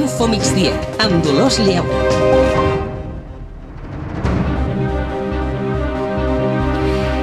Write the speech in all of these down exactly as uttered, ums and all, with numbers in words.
Info Migdia, amb Dolors Lleu.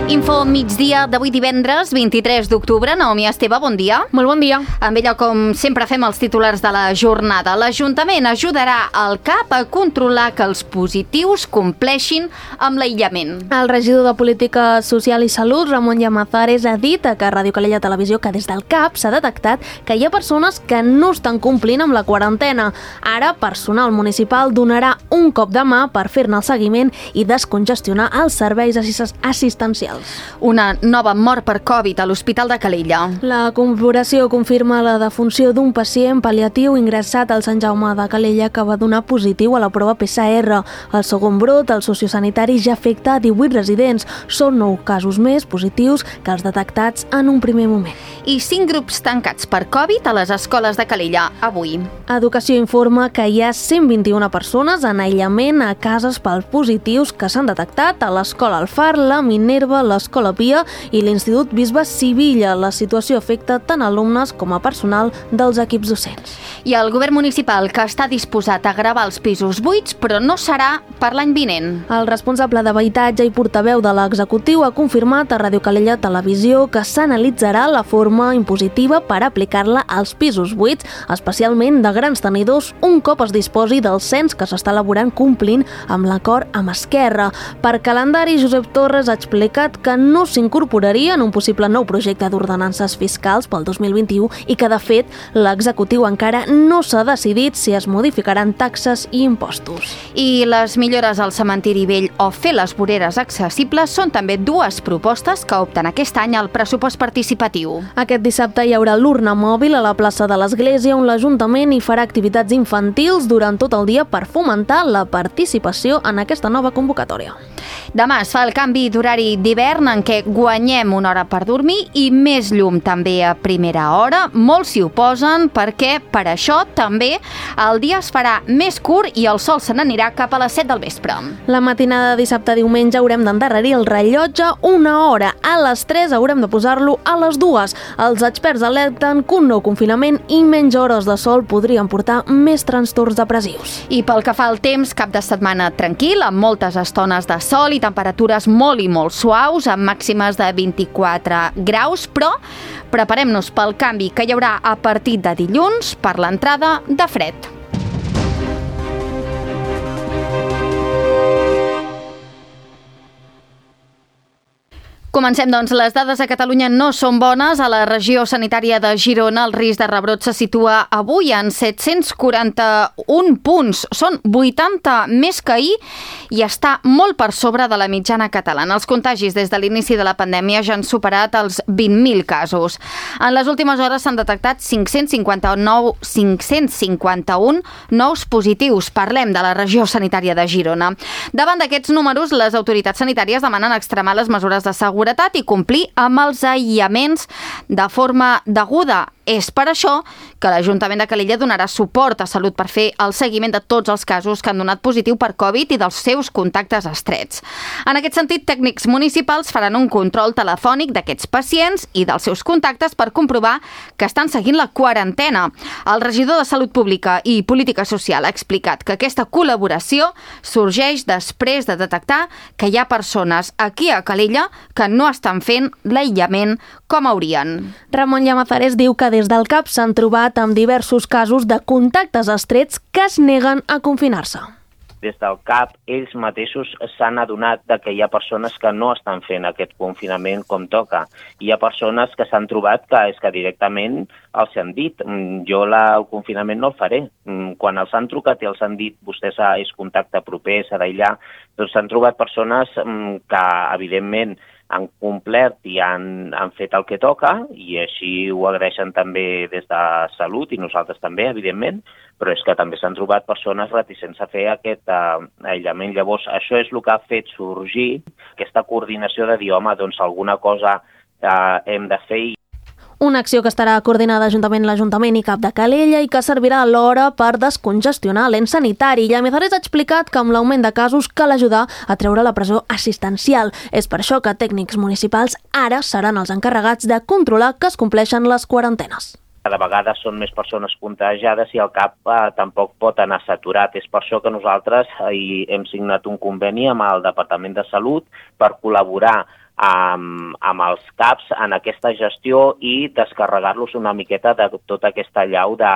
Info migdia d'avui divendres, vint-i-tres d'octubre. Naomi Esteve, bon dia. Molt bon dia. Amb ella, com sempre, fem els titulars de la jornada. L'Ajuntament ajudarà el C A P a controlar que els positius compleixin amb l'aïllament. El regidor de Política Social i Salut, Ramon Llamazares, ha dit a Ràdio Calella Televisió que des del C A P s'ha detectat que hi ha persones que no estan complint amb la quarantena. Ara, personal municipal donarà un cop de mà per fer-ne el seguiment i descongestionar els serveis assistencials. Una nova mort per Covid a l'Hospital de Calella. La corporació confirma la defunció d'un pacient pal·liatiu ingressat al Sant Jaume de Calella que va donar positiu a la prova P C R. El segon brot, el sociosanitari, ja afecta a divuit residents. Són nou casos més positius que els detectats en un primer moment. I cinc grups tancats per Covid a les escoles de Calella avui. Educació informa que hi ha cent vint-i-una persones en aïllament a cases pels positius que s'han detectat a l'Escola El Far, la Minerva, l'Escola Pia i l'Institut Bisbe Sivilla. La situació afecta tant alumnes com a personal dels equips docents. I el govern municipal, que està disposat a gravar els pisos buits, però no serà per l'any vinent. El responsable d'habitatge i portaveu de l'executiu ha confirmat a Ràdio Calella Televisió que s'analitzarà la forma impositiva per aplicar-la als pisos buits, especialment de grans tenidors, un cop es disposi del cens que s'està elaborant complint amb l'acord amb Esquerra. Per calendari, Josep Torres ha explicat que no s'incorporaria en un possible nou projecte d'ordenances fiscals pel dos mil vint-i-u i que, de fet, l'executiu encara no s'ha decidit si es modificaran taxes i impostos. I les millores al cementiri vell o fer les voreres accessibles són també dues propostes que opten aquest any al pressupost participatiu. Aquest dissabte hi haurà l'urna mòbil a la plaça de l'Església, on l'Ajuntament hi farà activitats infantils durant tot el dia per fomentar la participació en aquesta nova convocatòria. Demà es fa el canvi d'horari d'hivern en què guanyem una hora per dormir i més llum també a primera hora. Molts s'hi oposen perquè per això també el dia es farà més curt i el sol se n'anirà cap a les set del vespre. La matinada de dissabte a diumenge haurem d'endarrerir el rellotge una hora. A les tres haurem de posar-lo a les dues. Els experts alerten que un nou confinament i menys hores de sol podrien portar més trastorns depressius. I pel que fa al temps, cap de setmana tranquil, amb moltes estones de sol i temperatures molt i molt suaus, amb màximes de vint-i-quatre graus, però preparem-nos pel canvi que hi haurà a partir de dilluns per l'entrada de fred. Comencem, doncs. Les dades a Catalunya no són bones. A la regió sanitària de Girona el risc de rebrot se situa avui en set-cents quaranta-un punts. Són vuitanta més que ahir i està molt per sobre de la mitjana catalana. Els contagis des de l'inici de la pandèmia ja han superat els vint mil casos. En les últimes hores s'han detectat cinc-cents cinquanta-nou cinc-cents cinquanta-un nous positius. Parlem de la regió sanitària de Girona. Davant d'aquests números, les autoritats sanitàries demanen extremar les mesures de seguretat i complir amb els aïllaments de forma deguda. És per això que l'Ajuntament de Calella donarà suport a Salut per fer el seguiment de tots els casos que han donat positiu per Covid i dels seus contactes estrets. En aquest sentit, tècnics municipals faran un control telefònic d'aquests pacients i dels seus contactes per comprovar que estan seguint la quarantena. El regidor de Salut Pública i Política Social ha explicat que aquesta col·laboració sorgeix després de detectar que hi ha persones aquí a Calella que no estan fent l'aïllament com haurien. Ramon Llamazares diu que des del C A P s'han trobat amb diversos casos de contactes estrets que es neguen a confinar-se. Des del C A P ells mateixos s'han adonat de que hi ha persones que no estan fent aquest confinament com toca. Hi ha persones que s'han trobat que és que directament els han dit jo la, el confinament no el faré. Quan els han trucat i els han dit vostè és contacte proper, s'ha d'aïllar, doncs s'han trobat persones que evidentment han complert i han, han fet el que toca i així ho agraeixen també des de Salut i nosaltres també, evidentment, però és que també s'han trobat persones reticents a fer aquest uh, aïllament. Llavors, això és el que ha fet sorgir aquesta coordinació de dir, home, doncs alguna cosa uh, hem de fer. Una acció que estarà coordinada juntament l'Ajuntament i C A P de Calella i que servirà alhora per descongestionar l'ens sanitari. Llamazares ha explicat que amb l'augment de casos cal ajudar a treure la presó assistencial. És per això que tècnics municipals ara seran els encarregats de controlar que es compleixen les quarantenes. Cada vegada són més persones contagiades i el C A P eh, tampoc pot anar saturat. És per això que nosaltres eh, hem signat un conveni amb el Departament de Salut per col·laborar amb, amb els C A Ps en aquesta gestió i descarregar-los una miqueta de tota aquesta llau de,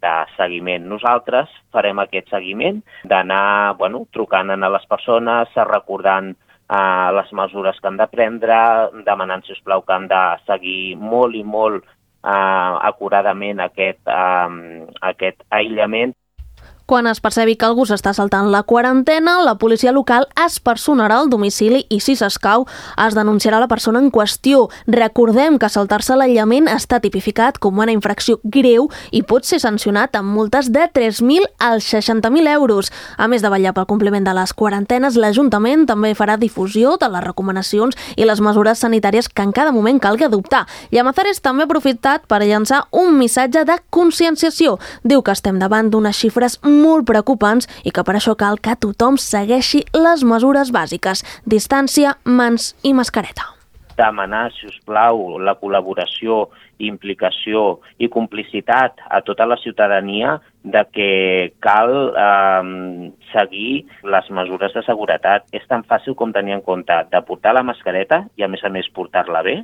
de seguiment. Nosaltres farem aquest seguiment d'anar bueno, trucant a les persones, recordant eh, les mesures que han de prendre, demanant, sisplau, que han de seguir molt i molt eh, acuradament aquest, eh, aquest aïllament. Quan es percebi que algú s'està saltant la quarantena, la policia local es personarà al domicili i, si s'escau, es denunciarà la persona en qüestió. Recordem que saltar-se l'aïllament està tipificat com una infracció greu i pot ser sancionat amb multes de tres mil als seixanta mil euros. A més de vetllar pel compliment de les quarantenes, l'Ajuntament també farà difusió de les recomanacions i les mesures sanitàries que en cada moment calgui adoptar. Llamazares també ha aprofitat per llançar un missatge de conscienciació. Diu que estem davant d'unes xifres molt preocupants i que per això cal que tothom segueixi les mesures bàsiques: distància, mans i mascareta. Demanar, si us plau, la col·laboració, implicació i complicitat a tota la ciutadania de que cal eh, seguir les mesures de seguretat. És tan fàcil com tenir en compte de portar la mascareta i, a més a més, portar-la bé,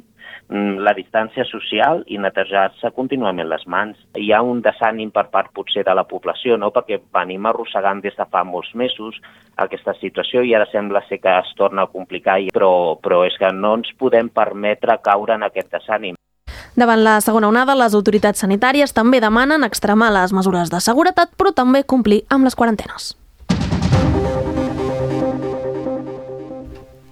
la distància social i netejar-se contínuament les mans. Hi ha un desànim per part potser de la població, no? Perquè venim arrossegant des de fa molts mesos aquesta situació i ara sembla ser que es torna a complicar, però, però és que no ens podem permetre caure en aquest desànim. Davant la segona onada, les autoritats sanitàries també demanen extremar les mesures de seguretat, però també complir amb les quarantenes.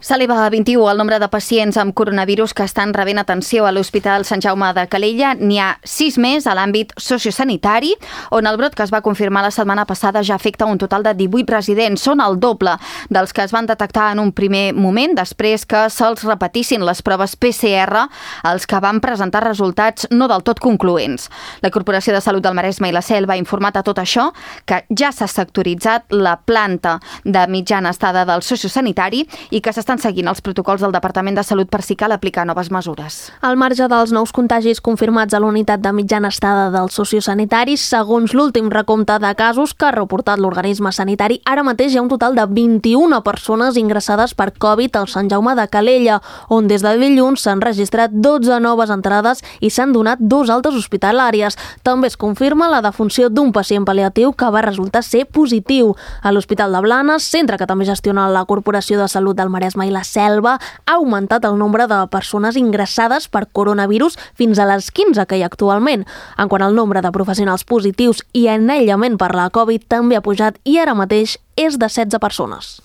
S'eleva a vint-i-u el nombre de pacients amb coronavirus que estan rebent atenció a l'Hospital Sant Jaume de Calella. N'hi ha sis més a l'àmbit sociosanitari, on el brot que es va confirmar la setmana passada ja afecta un total de divuit residents. Són el doble dels que es van detectar en un primer moment, després que se'ls repetissin les proves P C R, els que van presentar resultats no del tot concloents. La Corporació de Salut del Maresme i la Selva ha informat a tot això que ja s'ha sectoritzat la planta de mitjana estada del sociosanitari i que s'està seguint els protocols del Departament de Salut per si cal aplicar noves mesures. Al marge dels nous contagis confirmats a l'unitat de mitjana estada del sociosanitari, segons l'últim recompte de casos que ha reportat l'organisme sanitari, ara mateix hi ha un total de vint-i-una persones ingressades per Covid al Sant Jaume de Calella, on des de dilluns s'han registrat dotze noves entrades i s'han donat dos altes hospitalàries. També es confirma la defunció d'un pacient pal·liatiu que va resultar ser positiu. A l'Hospital de Blanes, centre que també gestiona la Corporació de Salut del Maresme i la Selva, ha augmentat el nombre de persones ingressades per coronavirus fins a les quinze que hi ha actualment. En quant al nombre de professionals positius i en aïllament per la Covid també ha pujat i ara mateix és de setze persones.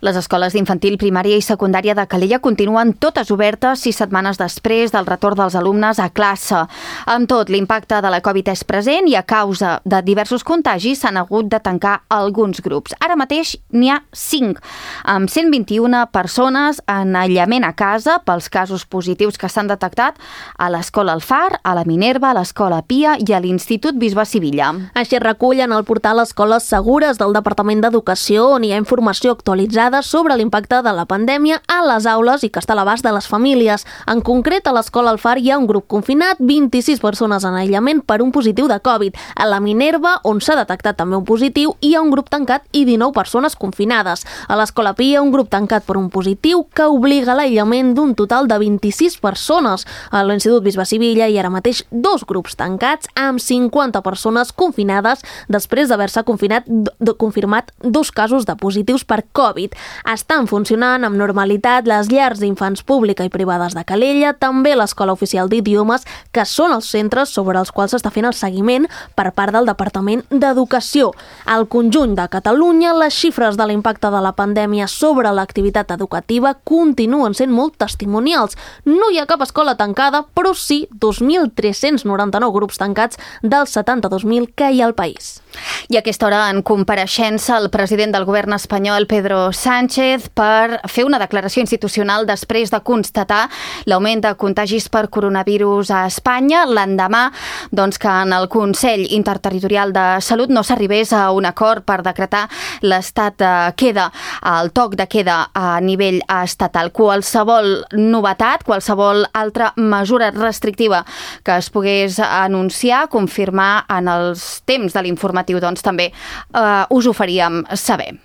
Les escoles d'infantil, primària i secundària de Calella continuen totes obertes sis setmanes després del retorn dels alumnes a classe. Amb tot, l'impacte de la Covid és present i a causa de diversos contagis s'han hagut de tancar alguns grups. Ara mateix n'hi ha cinc, amb cent vint-i-una persones en aïllament a casa pels casos positius que s'han detectat a l'Escola El Far, a la Minerva, a l'Escola Pia i a l'Institut Bisbe Sivilla. Així es recull en el portal Escoles Segures del Departament d'Educació, on hi ha informació actualitzada sobre l'impacte de la pandèmia a les aules i que està a l'abast de les famílies. En concret, a l'Escola El Far hi ha un grup confinat, vint-i-sis persones en aïllament per un positiu de Covid. A la Minerva, on s'ha detectat també un positiu, hi ha un grup tancat i dinou persones confinades. A l'Escola Pia, un grup tancat per un positiu que obliga a l'aïllament d'un total de vint-i-sis persones. A l'Institut Bisbe Sivilla hi ha ara mateix dos grups tancats amb cinquanta persones confinades després d'haver-se confinat, confirmat dos casos de positius per Covid. Estan funcionant amb normalitat les llars d'infants pública i privades de Calella, també l'Escola Oficial d'Idiomes, que són els centres sobre els quals s'està fent el seguiment per part del Departament d'Educació. Al conjunt de Catalunya, les xifres de l'impacte de la pandèmia sobre l'activitat educativa continuen sent molt testimonials. No hi ha cap escola tancada, però sí dos mil tres-cents noranta-nou grups tancats dels setanta-dos mil que hi ha al país. I a aquesta hora, en compareixença, el president del govern espanyol, Pedro Sánchez, Sánchez per fer una declaració institucional després de constatar l'augment de contagis per coronavirus a Espanya, l'endemà doncs, que en el Consell Interterritorial de Salut no s'arribés a un acord per decretar l'estat de queda, el toc de queda a nivell estatal. Qualsevol novetat, qualsevol altra mesura restrictiva que es pogués anunciar, confirmar en els temps de l'informatiu, doncs també eh, us ho faríem saber.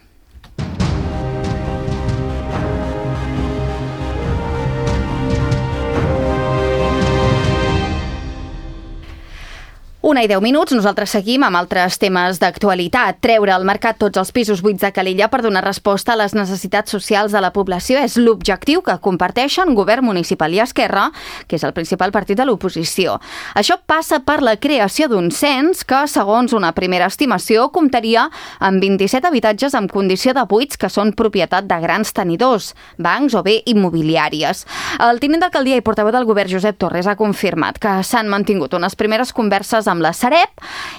Una i deu minuts, nosaltres seguim amb altres temes d'actualitat. Treure al mercat tots els pisos buits de Calella per donar resposta a les necessitats socials de la població és l'objectiu que comparteixen Govern Municipal i Esquerra, que és el principal partit de l'oposició. Això passa per la creació d'un cens que, segons una primera estimació, comptaria amb vint-i-set habitatges en condició de buits que són propietat de grans tenidors, bancs o bé immobiliàries. El tinent d'alcaldia i portaveu del Govern, Josep Torres, ha confirmat que s'han mantingut unes primeres converses amb amb la Sareb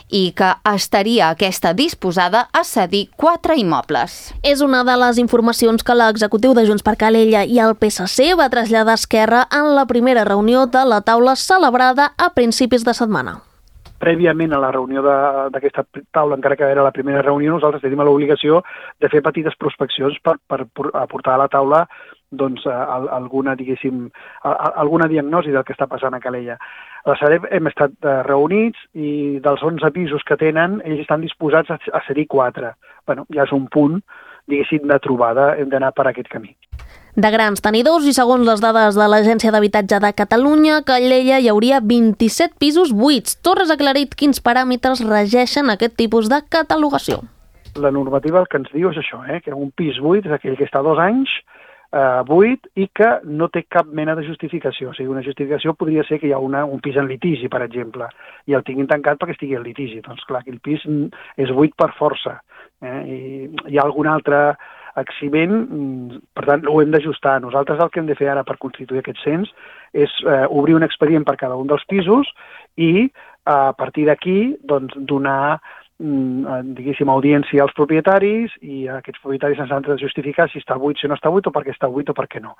i que estaria aquesta disposada a cedir quatre immobles. És una de les informacions que l'executiu de Junts per Calella i el P S C va traslladar a Esquerra en la primera reunió de la taula celebrada a principis de setmana. Prèviament a la reunió d'aquesta taula, encara que era la primera reunió, nosaltres tenim l'obligació de fer petites prospeccions per, per aportar a la taula doncs, alguna, diguéssim, alguna diagnosi del que està passant a Calella. A la Sareb hem estat reunits i dels onze pisos que tenen, ells estan disposats a cedir quatre. Bueno, ja és un punt, diguéssim, de trobada, hem d'anar per aquest camí. De grans tenidors i segons les dades de l'Agència d'Habitatge de Catalunya, a Calella hi hauria vint-i-set pisos buits. Torres ha aclarit quins paràmetres regeixen aquest tipus de catalogació. La normativa el que ens diu és això, eh? que un pis buit és aquell que està dos anys eh, buit i que no té cap mena de justificació. O sigui, una justificació podria ser que hi ha una, un pis en litigi, per exemple, i el tinguin tancat perquè estigui en litigi. Doncs clar, aquell pis és buit per força. Eh? I hi ha algun altre exhibent, per tant, ho hem d'ajustar. Nosaltres el que hem de fer ara per constituir aquest cens és eh, obrir un expedient per cada un dels pisos i eh, a partir d'aquí doncs, donar diguéssim, audiència als propietaris i aquests propietaris ens han de justificar si està buit, si no està buit o per què està buit o per què no.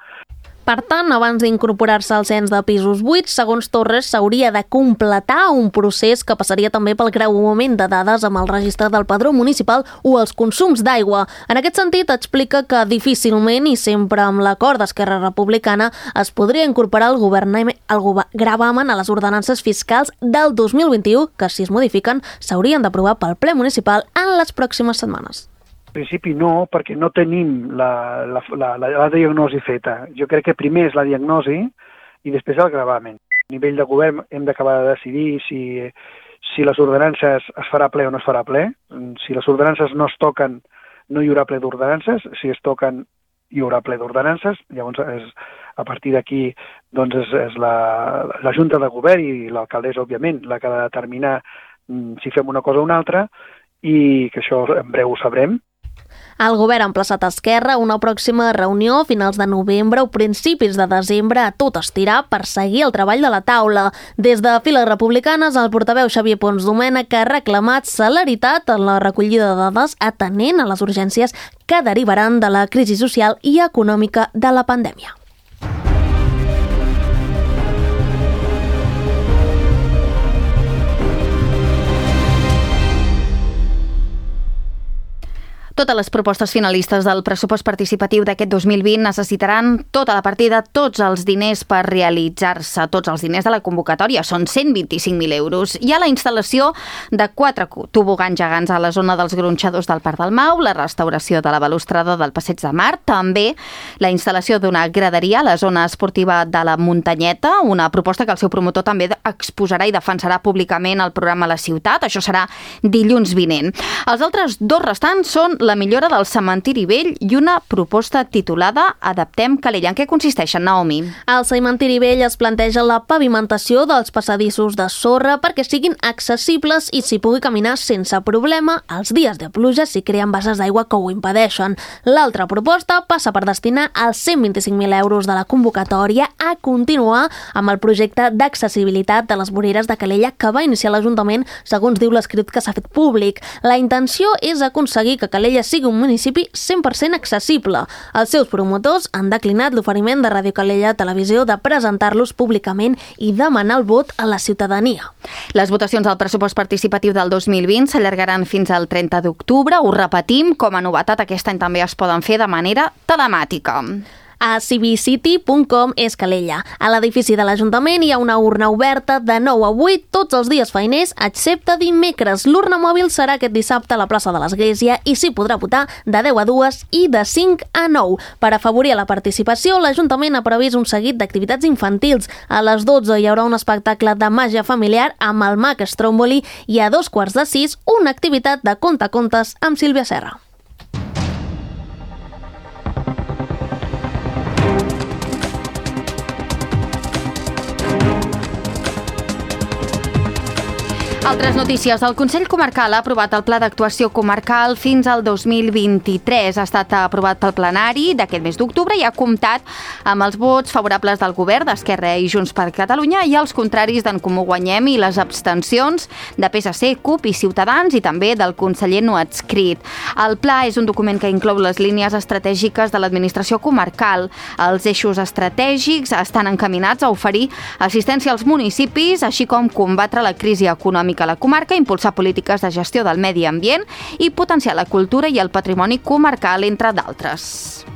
Per tant, abans d'incorporar-se al cens de pisos buits, segons Torres, s'hauria de completar un procés que passaria també pel creuament de dades amb el registre del padró municipal o els consums d'aigua. En aquest sentit, explica que difícilment i sempre amb l'acord d'Esquerra Republicana es podria incorporar el, el gravamen a les ordenances fiscals del dos mil vint-i-u, que si es modifiquen s'haurien d'aprovar pel ple municipal en les pròximes setmanes. En principi no, perquè no tenim la, la, la, la, la diagnosi feta. Jo crec que primer és la diagnosi i després el gravamen. A nivell de govern hem d'acabar de decidir si, si les ordenances es farà ple o no es farà ple. Si les ordenances no es toquen, no hi haurà ple d'ordenances. Si es toquen, hi haurà ple d'ordenances. Llavors, és, a partir d'aquí, doncs és, és la, la Junta de Govern i l'alcaldessa, òbviament, la que ha de determinar si fem una cosa o una altra i que això en breu ho sabrem. El govern ha emplaçat a Esquerra a una pròxima reunió a finals de novembre o principis de desembre a tot estirar per seguir el treball de la taula. Des de files republicanes, el portaveu Xavier Pons Domènech ha reclamat celeritat en la recollida de dades atenent a les urgències que derivaran de la crisi social i econòmica de la pandèmia. Totes les propostes finalistes del pressupost participatiu d'aquest dos mil vint necessitaran tota la partida, tots els diners per realitzar-se, tots els diners de la convocatòria, són cent vint-i-cinc mil euros. Hi ha la instal·lació de quatre tobogans gegants a la zona dels gronxadors del Parc del Mau, la restauració de la balustrada del Passeig de Mar, també la instal·lació d'una graderia a la zona esportiva de la Muntanyeta, una proposta que el seu promotor també exposarà i defensarà públicament al programa La Ciutat. Això serà dilluns vinent. Els altres dos restants són la millora del cementiri vell i una proposta titulada Adaptem Calella. En què consisteixen, Naomi? Al cementiri vell es planteja la pavimentació dels passadissos de sorra perquè siguin accessibles i s'hi pugui caminar sense problema els dies de pluja si creen basses d'aigua que ho impedeixen. L'altra proposta passa per destinar els cent vint-i-cinc mil euros de la convocatòria a continuar amb el projecte d'accessibilitat de les voreres de Calella que va iniciar l'Ajuntament, segons diu l'escrit que s'ha fet públic. La intenció és aconseguir que Calella Calella sigui un municipi cent per cent accessible. Els seus promotors han declinat l'oferiment de Ràdio Calella Televisió de presentar-los públicament i demanar el vot a la ciutadania. Les votacions al pressupost participatiu del dos mil vint s'allargaran fins al trenta d'octubre. Ho repetim, com a novetat, aquest any també es poden fer de manera telemàtica. A civicity punt com és Calella. A l'edifici de l'Ajuntament hi ha una urna oberta de nou a vuit tots els dies feiners, excepte dimecres. L'urna mòbil serà aquest dissabte a la plaça de l'Església i s'hi podrà votar de deu a dues i de cinc a nou. Per afavorir la participació, l'Ajuntament ha previst un seguit d'activitats infantils. A les dotze hi haurà un espectacle de màgia familiar amb el mag Stromboli i a dos quarts de sis una activitat de contacontes amb Sílvia Serra. Altres notícies. El Consell Comarcal ha aprovat el Pla d'Actuació Comarcal fins al dos mil vint-i-tres. Ha estat aprovat pel plenari d'aquest mes d'octubre i ha comptat amb els vots favorables del Govern, d'Esquerra i Junts per Catalunya i els contraris d'en Comú Guanyem i les abstencions de P S C, CUP i Ciutadans i també del conseller no adscrit. El pla és un document que inclou les línies estratègiques de l'administració comarcal. Els eixos estratègics estan encaminats a oferir assistència als municipis, així com combatre la crisi econòmica a la comarca, impulsar polítiques de gestió del medi ambient i potenciar la cultura i el patrimoni comarcal, entre d'altres.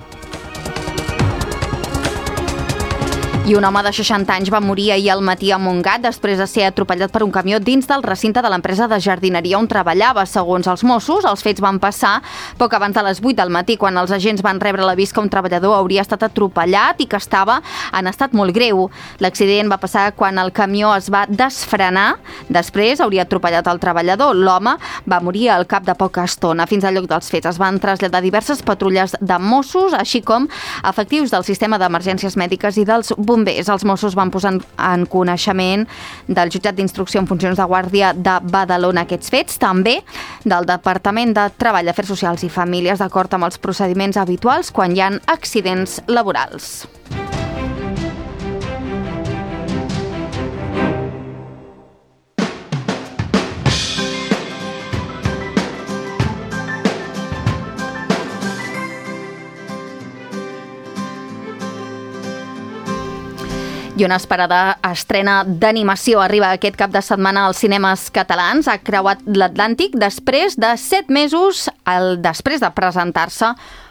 I un home de seixanta anys va morir ahir al matí a Montgat després de ser atropellat per un camió dins del recinte de l'empresa de jardineria on treballava. Segons els Mossos, els fets van passar poc abans de les vuit del matí, quan els agents van rebre l'avís que un treballador hauria estat atropellat i que estava en estat molt greu. L'accident va passar quan el camió es va desfrenar. Després hauria atropellat el treballador. L'home va morir al cap de poca estona. Fins al lloc dels fets es van traslladar diverses patrulles de Mossos, així com efectius del sistema d'emergències mèdiques i dels bombers. Els Mossos van posar en coneixement del jutjat d'instrucció en funcions de guàrdia de Badalona aquests fets, també del Departament de Treball, Afers Socials i Famílies, d'acord amb els procediments habituals quan hi ha accidents laborals. I una esperada estrena d'animació arriba aquest cap de setmana als cinemes catalans. Ha creuat l'Atlàntic després de set mesos el, després de presentar-se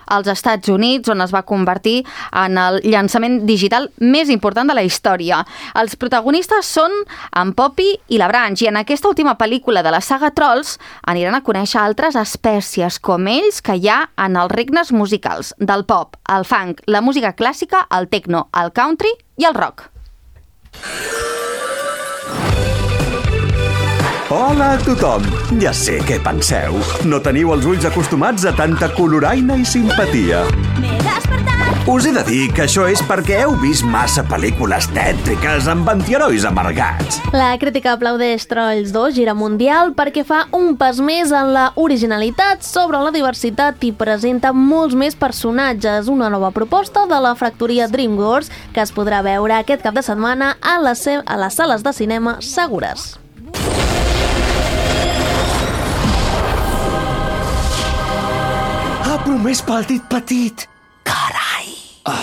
als Estats Units, on es va convertir en el llançament digital més important de la història. Els protagonistes són en Poppy i la Branch, i en aquesta última pel·lícula de la saga Trolls aniran a conèixer altres espècies com ells que hi ha en els regnes musicals del pop, el funk, la música clàssica, el techno, el country i el rock. Hola a tothom! Ja sé què penseu. No teniu els ulls acostumats a tanta coloraina i simpatia. M'he despertat! Us he de dir que això és perquè heu vist massa pel·lícules tètriques amb antiherois amargats. La crítica aplaudeix Trolls dos gira mundial perquè fa un pas més en la originalitat sobre la diversitat i presenta molts més personatges. Una nova proposta de la fractoria DreamWorks que es podrà veure aquest cap de setmana a les, a les sales de cinema segures. Ha promès pel dit petit. Carai! Ah.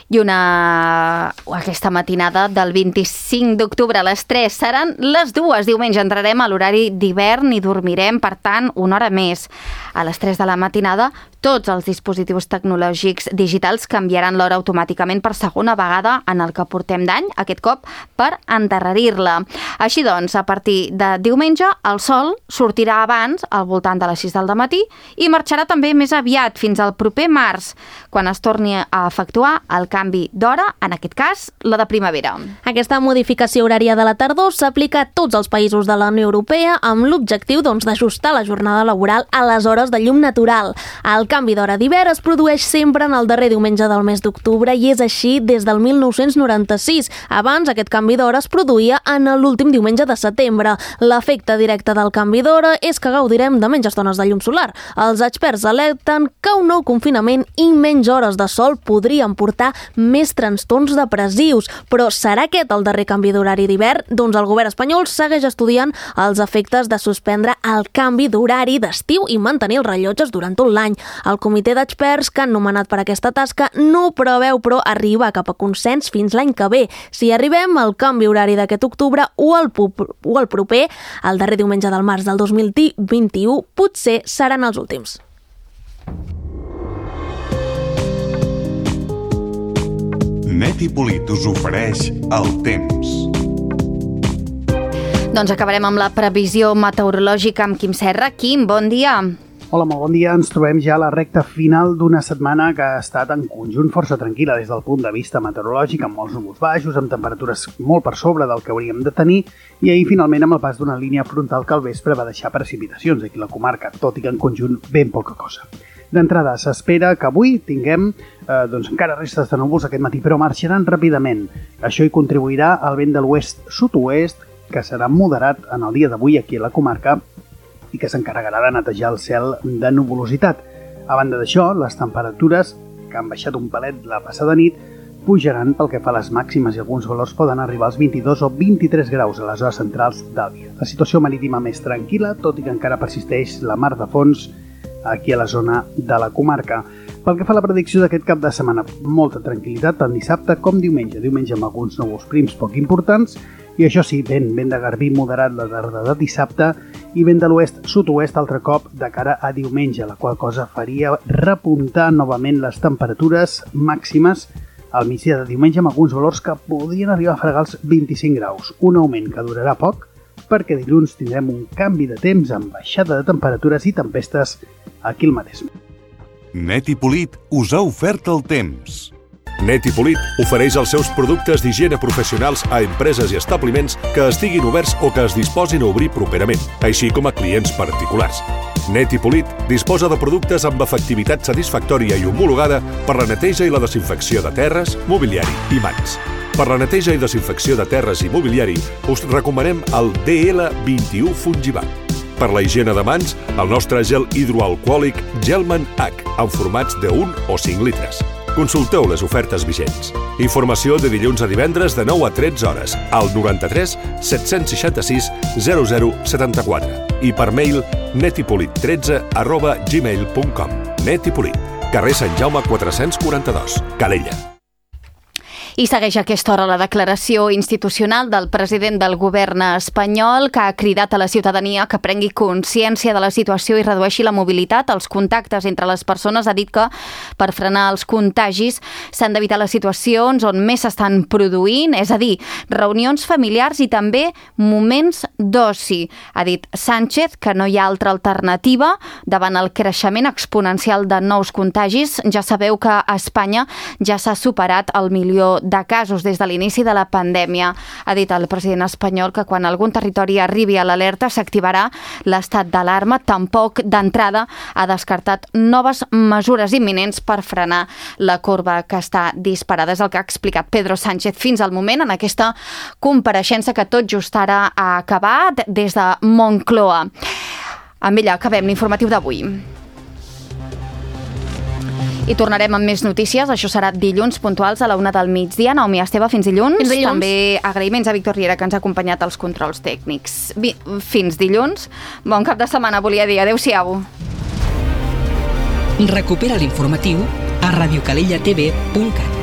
I una... aquesta matinada del vint-i-cinc d'octubre a les tres seran les dues. Diumenge entrarem a l'horari d'hivern i dormirem, per tant, una hora més. A les tres de la matinada, tots els dispositius tecnològics digitals canviaran l'hora automàticament per segona vegada en el que portem d'any, aquest cop per endarrerir-la. Així doncs, a partir de diumenge, el sol sortirà abans, al voltant de les sis del matí, i marxarà també més aviat, fins al proper març, quan es torni a efectuar el canvi d'hora, en aquest cas, la de primavera. Aquesta modificació horària de la tardor s'aplica a tots els països de la Unió Europea amb l'objectiu doncs, d'ajustar la jornada laboral a les hores de llum natural. El canvi d'hora d'hivern es produeix sempre en el darrer diumenge del mes d'octubre i és així des del mil nou-cents noranta-sis. Abans, aquest canvi d'hora es produïa en l'últim diumenge de setembre. L'efecte directe del canvi d'hora és que gaudirem de menys estones de llum solar. Els experts alerten que un nou confinament i menys hores de sol podrien portar més trastorns depressius. Però serà aquest el darrer canvi d'horari d'hivern? Doncs el govern espanyol segueix estudiant els efectes de suspendre el canvi d'horari d'estiu i mantenir els rellotges durant tot l'any. El comitè d'experts que han nomenat per aquesta tasca no preveu, però, arribar cap a consens fins l'any que ve. Si arribem, el canvi horari d'aquest octubre o el, o el proper, el darrer diumenge del març del dos mil vint-i-u, potser seran els últims. Net i Polit us ofereix el temps. Doncs acabarem amb la previsió meteorològica amb Quim Serra. Quim, bon dia. Hola, molt bon dia. Ens trobem ja a la recta final d'una setmana que ha estat en conjunt força tranquil·la des del punt de vista meteorològic, amb molts núvols baixos, amb temperatures molt per sobre del que hauríem de tenir, i ahir finalment amb el pas d'una línia frontal que al vespre va deixar precipitacions aquí a la comarca, tot i que en conjunt ben poca cosa. D'entrada, s'espera que avui tinguem eh, doncs encara restes de núvols aquest matí, però marxaran ràpidament. Això hi contribuirà el vent de l'oest-sud-oest, que serà moderat en el dia d'avui aquí a la comarca i que s'encarregarà de netejar el cel de nuvolositat. A banda d'això, les temperatures, que han baixat un palet la passada nit, pujaran pel que fa a les màximes i alguns valors poden arribar als vint-i-dos o vint-i-tres graus a les hores centrals del dia. La situació marítima més tranquil·la, tot i que encara persisteix la mar de fons aquí a la zona de la comarca. Pel que fa a la predicció d'aquest cap de setmana, molta tranquil·litat tant dissabte com diumenge. Diumenge amb alguns núvols prims poc importants, i això sí, vent, vent de garbí moderat la tarda de dissabte i vent de l'oest-sud-oest altre cop de cara a diumenge, la qual cosa faria repuntar novament les temperatures màximes al migdia de diumenge amb alguns valors que podrien arribar a fregar els vint-i-cinc graus, un augment que durarà poc perquè dilluns tindrem un canvi de temps amb baixada de temperatures i tempestes aquí al Maresme. Net i Polit us ha ofert el temps. Net i Polit ofereix els seus productes d'higiene professionals a empreses i establiments que estiguin oberts o que es disposin a obrir properament, així com a clients particulars. Net i Polit disposa de productes amb efectivitat satisfactòria i homologada per la neteja i la desinfecció de terres, mobiliari i mans. Per la neteja i desinfecció de terres i mobiliari us recomanem el D L vint-i-u Fungibat. Per la higiene de mans, el nostre gel hidroalcohòlic Gelman H, en formats de un o cinc litres. Consulteu les ofertes vigents. Informació de dilluns a divendres de nou a tretze hores al noranta-tres set-cents seixanta-sis zero zero setanta-quatre i per mail netipolit tretze arroba gmail punt com. Net i Polit, carrer Sant Jaume quatre-cents quaranta-dos, Calella. I segueix a aquesta hora la declaració institucional del president del govern espanyol, que ha cridat a la ciutadania que prengui consciència de la situació i redueixi la mobilitat, els contactes entre les persones. Ha dit que per frenar els contagis s'han d'evitar les situacions on més s'estan produint, és a dir, reunions familiars i també moments d'oci. Ha dit Sánchez que no hi ha altra alternativa davant el creixement exponencial de nous contagis. Ja sabeu que a Espanya ja s'ha superat el milió de casos des de l'inici de la pandèmia. Ha dit el president espanyol que quan algun territori arribi a l'alerta s'activarà l'estat d'alarma. Tampoc d'entrada ha descartat noves mesures imminents per frenar la corba que està disparada. És el que ha explicat Pedro Sánchez fins al moment en aquesta compareixença que tot just ara ha acabat des de Moncloa. Amb ella acabem l'informatiu d'avui. I tornarem amb més notícies. Això serà dilluns puntuals a la una del migdia. Naomi Esteve, fins dilluns. Fins dilluns. També agraïments a Víctor Riera, que ens ha acompanyat als controls tècnics. Fins dilluns. Bon cap de setmana, volia dir. Adéu-siau. Recupera l'informatiu a radiocalellatv punt cat.